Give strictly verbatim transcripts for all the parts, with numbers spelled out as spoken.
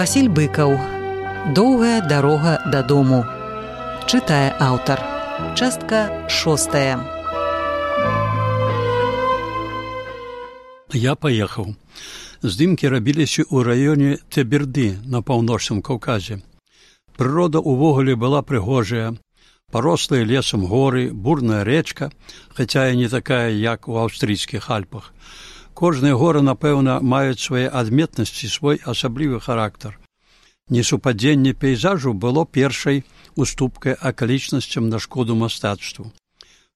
Васіль Быкаў. Доўгая дарога дадому. Чытае аўтар. Частка шостая. Я паехаў. Здымкі рабіліся ў раёне Теберды на паўночным Каўказе. Прырода ўвогуле была прыгожая. Парослыя лесам горы, бурная рэчка, хаця і не такая, як у аўстрыйскіх Альпах. Кожныя горы, напэўна, маюць свае адметнасці, свой асаблівы характар. Несупадзенне пейзажу было першай уступкай акалічнасцям на шкоду мастацтву.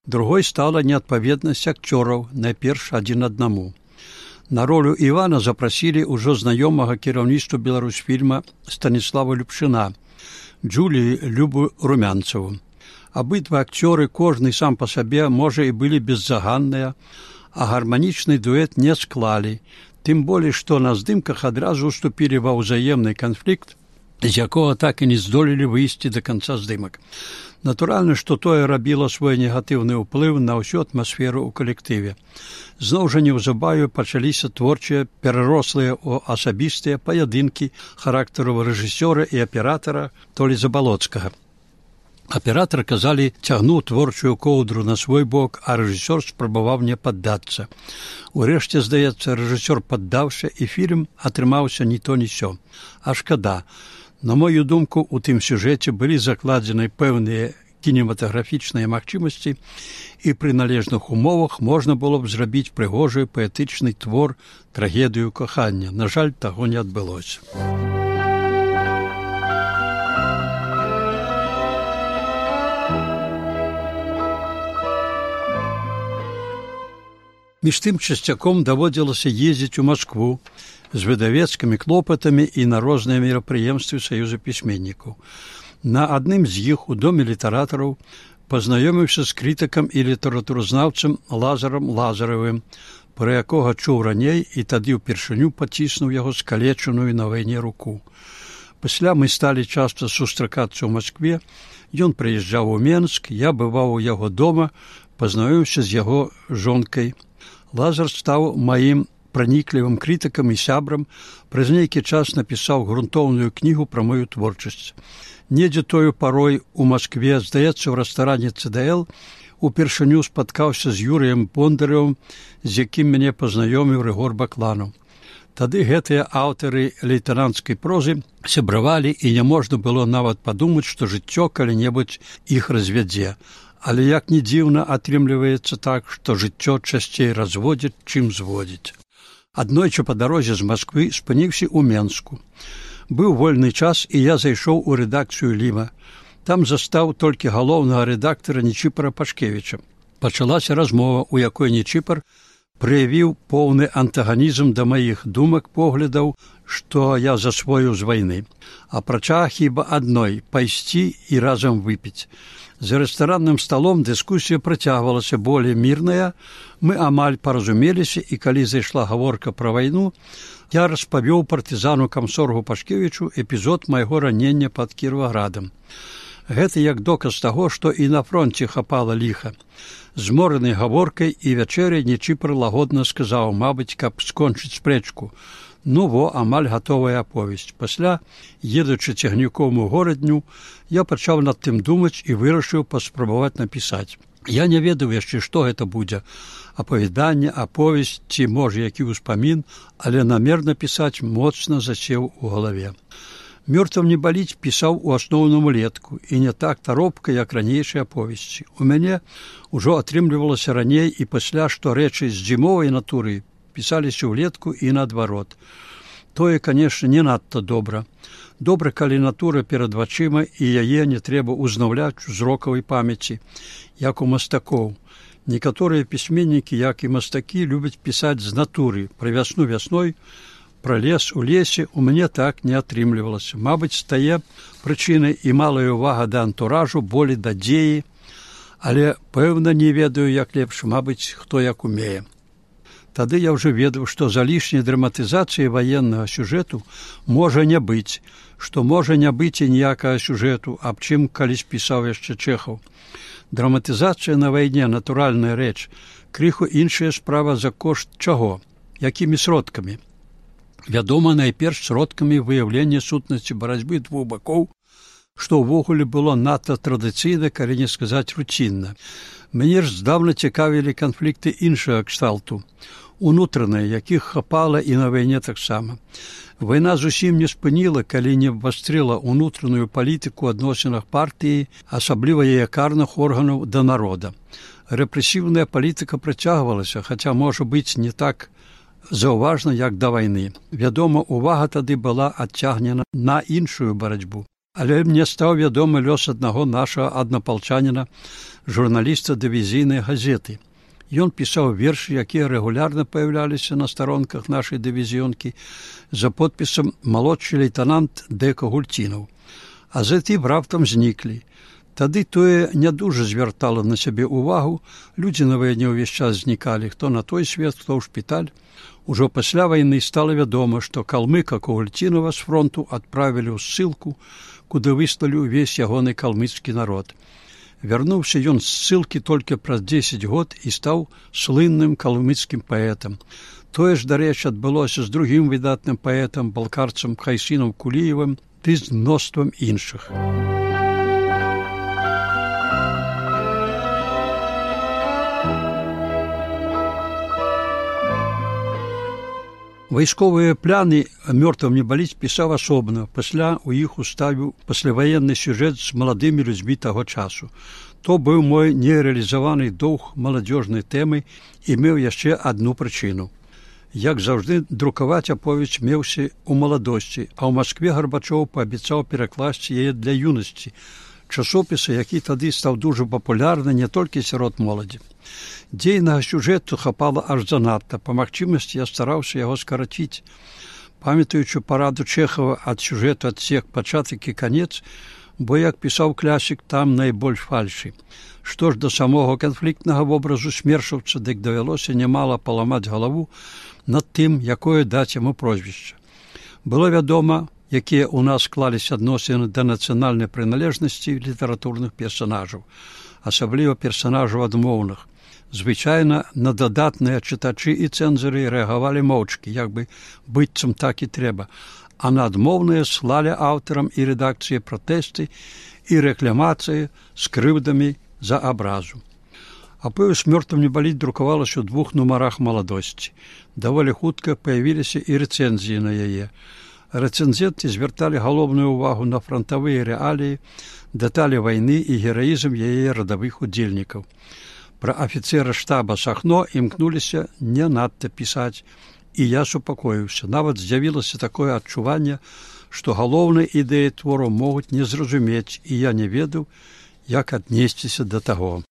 Другой стала неадпаведнасць акцёраў, найперш адзін аднаму. На ролю Івана запрасілі ўжо знаёмага кіраўніцтву Беларусьфільма Станіслава Любшына, Джулію Любу Румянцеву. Абидва акцёры, кожны сам па сабе, можа, і былі беззаганныя, а гарманічны дуэт не склалі, тым болей, што на здымках адразу уступілі ва ўзаемны канфлікт, з якога так і не здолелі выйсці да канца здымак. Натуральна, што тое рабіла свой негатыўны ўплыў на ўсю атмасферу ў калектыве. Зноў жа неўзабаве пачаліся творчыя, перарослыя ў асабістыя паядынкі характару рэжысёра і аператара Толі Забалоцкага. Аператар, казалі, цягнуў творчую коўдру на свой бок, а рэжысёр спрабаваў не паддацца. Урэшце, здаецца, рэжысёр паддаўся, і фільм атрымаўся ні то ні сё. А шкада. На мою думку, у тым сюжэце былі закладзены пэўныя кінематаграфічныя магчымасці, і пры належных умовах можна было б зрабіць прыгожы паэтычны твор, трагедыю кахання. На жаль, таго не адбылося. Між тым часцяком даводзілася ездзіць у Маскву з выдавецкімі клопатамі і на розныя мерапрыемствы Саюза пісьменнікаў. На адным з іх у доме літаратараў пазнаёміўся з крытыкам і літаратуразнаўцам Лазарам Лазаравым, пра якога чуў раней і тады ўпершыню паціснуў яго скалечаную на вайне руку. Пасля мы сталі часта сустракацца ў Маскве, ён прыязджаў у Менск, я бываў у яго дома, пазнаёміўся з яго жонкай. Лазар стаў маім праніклівым крытыкам і сябрам, праз нейкі час напісаў грунтоўную кнігу пра мою творчасць. Недзе тою парой у Маскве, здаецца, ў рэстаране цэ дэ эл, упершыню спаткаўся з Юрыем Бондаревым, з якім мяне пазнаёміў Рыгор Бакланаў. Тады гэтыя аўтары лейтэнанцкай прозы сябравалі, і няможна было нават падумаць, што жыццё калі-небудзь іх развядзе. Але як ні дзіўна, атрымліваецца так, што жыццё часцей разводзіць, чым зводзіць. Аднойчы па дарозе з Масквы спыніўся ў Менску. Быў вольны час, і я зайшоў у рэдакцыю Ліма. Там застаў толькі галоўнага рэдактара Нечіпара Пашкевіча. Пачалася размова, у якой Нечіпар праявіў поўны антаганізм да маіх думак, поглядаў, што я засвоіў з вайны. Апрача хіба адной – пайсці і разам выпіць. За рэстаранным сталом дыскусія працягвалася болей мірная, мы амаль паразумеліся, і калі зайшла гаворка пра вайну, я распавёў партызану камсоргу Пашкевічу эпізод майго ранення пад Кіраваградам. Гэта як доказ таго, што і на фронце хапала ліха. Змораны гаворкай і вячэрай Нечіпар лагодна сказаў, мабыць, каб скончыць спрэчку. Ну во, амаль гатовая аповесць. Пасля, едучы цягніком у горадню, я пачаў над тым думаць і вырашыў паспрабаваць напісаць. Я не ведаў яшчэ, што гэта будзе. Апавяданне, аповесць ці, можа, які ўспамін, але намер напісаць моцна засеў у галаве. «Мёртвым не баліць» пісаў у асноўным улетку, і не так таропка, як ранейшыя аповесці. У мяне ўжо атрымлівалася раней і пасля, што рэчы з зімовай натуры пісаліся ўлетку і наадварот. Тое, канешне, не надта добра. Добра, калі натура перад вачыма, і яе не трэба ўзнаўляць у зрокавай памяці, як у мастакоў. Некаторыя пісьменнікі, як і мастакі, любяць пісаць з натуры, пра вясну вясной, пра лес у лесе. У мяне так не атрымлівалася. Мабыць, стае прычынай і малая ўвага да антуражу, болей да дзеі, але, пэўна, не ведаю, як лепш, мабыць, хто як умее. Тады я ўжо ведаў, што за лішняй драматызацыяй ваеннага сюжэту можа не быць, што можа не быць і ніякага сюжэту, аб чым калісь пісаў яшчэ Чэхаў. Драматызацыя на вайне – натуральная рэч, крыху іншая справа за кошт чаго, якімі сродкамі. вядома найперш сродкамі выяўлення сутнасці барацьбы двух бакоў, што ўвогуле было надта традыцыйна, калі не сказаць руцінна. Мяне ж здаўна цікавілі канфлікты іншага кшталту, унутраныя, якіх хапала і на вайне таксама. Вайна зусім не спыніла, калі не абвастрыла ўнутраную палітыку ў адносінах партыі, асабліва яе карных органаў да народа. Рэпрэсіўная палітыка працягвалася, хаця, можа быць, не так заўважна, як да вайны. Вядома, увага тады была адцягнена на іншую барацьбу. Але мне стаў вядомы лёс аднаго нашага аднапалчаніна, журналіста дывізійнай газеты. Ён пісаў вершы, якія рэгулярна паяўляліся на старонках нашай дывізіёнкі за подпісам «Малодшы лейтенант Дека Гульцінаў». А затым раптам зніклі. Тады тое не дужа звяртала на сябе ўвагу, людзі на вайне ўвесь час знікалі, хто на той свет, хто ў шпіталь. Ужо пасля вайны стала вядома, што калмыка Гульцінава з фронту адправілі ў ссылку, куды выслалі ўвесь ягоны калмыцкі народ. Вярнуўся ён з ссылкі толькі праз дзесяць год і стаў слынным калмыцкім паэтам. Тое ж, дарэчы, адбылося з другім выдатным паэтам, балкарцам Хайсінам Куліевым ды з мноствам іншых. Вайсковыя пляны «Мёртвым не баліць» пісаў асобна, пасля ў іх уставіў пасляваенны сюжэт з маладымі людзьмі таго часу. То быў мой нерэалізаваны доўг маладзёжнай тэмы і меў яшчэ адну прычыну. Як заўжды, друкаваць аповесць меўся ў маладосці, а ў Маскве Гарбачоў паабяцаў перакласці яе для юнасці, часопіса, які тады стаў дужа папулярны не толькі сярод моладзі. Дзейнага сюжэту хапала аж занадта. Па магчымасці я стараўся яго скараціць. Памятаючы параду Чэхава ад сюжэту адсек пачатак і канец, бо, як пісаў класік, там найбольш фальшы. Што ж да самога канфліктнага вобразу смершаўца, дык давялося нямала паламаць галаву над тым, якое даць яму прозвішча. Было вядома, якія ў нас склаліся адносіны да нацыянальнай прыналежнасці літаратурных персанажаў, асабліва персанажаў адмоўных. Звычайна на дадатныя чытачы і цэнзары рэагавалі моўчкі, як бы быццам так і трэба, а на адмоўныя слалі аўтарам і рэдакцыі пратэсты і рэкламацыі з крыўдамі за абразу. Аповесць «Мёртвым не баліць» друкавалася ў двух нумарах маладосці. Даволі хутка паявіліся і рэцэнзіі на яе. Рэцэнзенты звярталі галоўную ўвагу на франтавыя рэаліі, дэталі вайны і гераізм яе радавых удзельнікаў. Пра афіцэра штаба Сахно імкнуліся не надта пісаць, і я супакоіўся. Нават з'явілася такое адчуванне, што галоўнай ідэі твору могуць не зразумець, і я не ведаў, як аднесціся да таго.